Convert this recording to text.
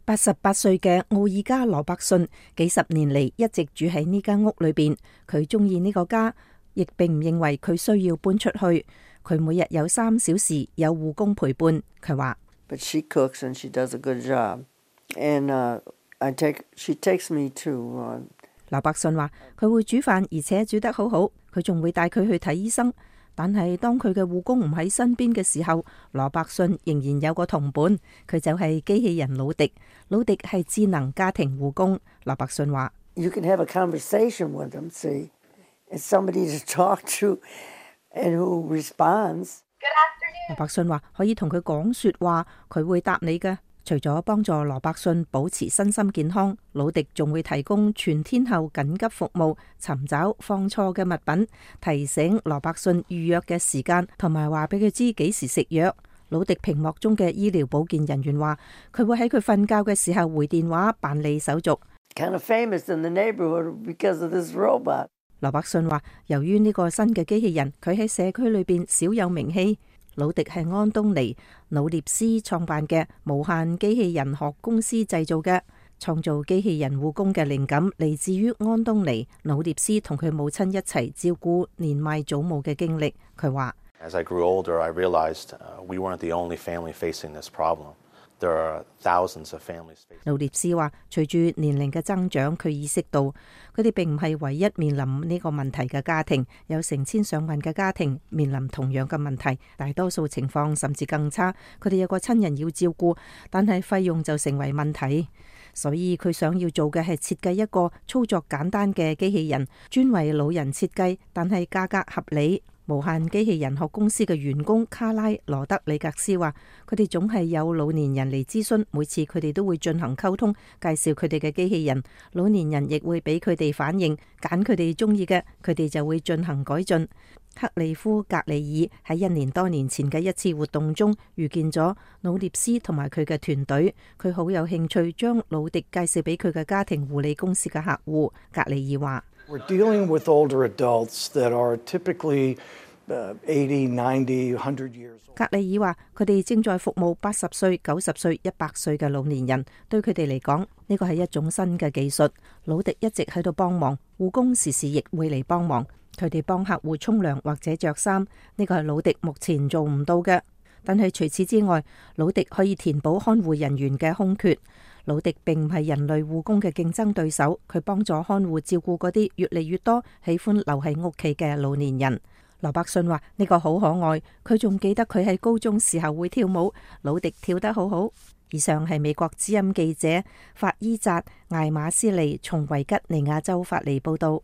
88歲嘅奧爾加羅伯遜幾十年嚟一直住喺呢間屋裏邊，佢中意呢個家，亦並唔認為佢需要搬出去。佢每日有3小時有護工陪伴。佢話：But she cooks and she does a good job, and she takes me to。羅伯遜話佢會煮飯，而且煮得好好。佢仲會帶佢去睇醫生。但係當佢嘅護工唔喺身邊嘅時候，羅伯遜仍然有個同伴，佢就係機器人魯迪。魯迪係智能家庭護工。羅伯遜話：You can have a conversation with them, see, and somebody to talk to, and who responds. 羅伯遜話可以同佢講說話，佢會答你嘅。除咗幫助羅伯遜保持身心健康，魯迪仲會提供全天候緊急服務，尋找放錯嘅物品，提醒羅伯遜預約嘅時間，同埋話俾佢知幾時食藥。魯迪屏幕中嘅醫療保健人員話，佢會喺佢瞓覺嘅時候回電話辦理手續。Kind of famous in the neighborhood because of this robot. 羅伯遜話，由於呢個新嘅機器人，佢喺社區裏邊少有名氣。魯迪係安東尼努涅斯創辦嘅無限機器人學公司製造嘅。創造機器人護工嘅靈感嚟自於安東尼努涅斯同佢母親一齊照顧年邁祖母嘅經歷。佢話：As I grew older, I realized we weren't the only family facing this problem. There are thousands of families facing。努涅斯話：隨住年齡嘅增長，佢意識到佢哋並唔係唯一面臨呢個問題嘅家庭，有成千上萬嘅家庭面臨同樣嘅問題，大多數情況甚至更差。佢哋有個親人要照顧，但係費用就成為問題。所以佢想要做嘅係設計一個操作簡單嘅機器人，專為老人設計，但係價格合理。無限機器人學公司嘅員工卡拉羅德里格斯話，佢哋總係有老年人嚟諮詢，每次佢哋都會進行溝通，介紹佢哋嘅機器人。老年人亦會俾佢哋反應，揀佢哋中意嘅，佢哋就會進行改進。克利夫格里爾喺1年多年前嘅一次活動中遇見咗努涅斯同埋佢嘅團隊，佢好有興趣將魯迪介紹俾佢嘅家庭護理公司嘅客戶。格里爾話：We're dealing with older adults that are typically 80, 90, 100 years old. 格里爾話：佢哋正在服務80歲、90歲、100歲嘅老年人，對佢哋嚟講，呢個係一種新嘅技術。魯迪一直喺度幫忙，護工時時亦會嚟幫忙。佢哋幫客戶沖涼或者着衫，呢個係魯迪目前做唔到嘅。但係除此之外，魯迪可以填補看護人員嘅空缺。魯迪並唔係人類護工嘅競爭對手，佢幫助看護照顧嗰啲越嚟越多喜歡留喺屋企嘅老年人。羅伯遜話：呢個好可愛，佢仲記得佢喺高中時候會跳舞，魯迪跳得好好。以上係美國之音記者法伊扎艾馬斯利從維吉尼亞州發嚟報道。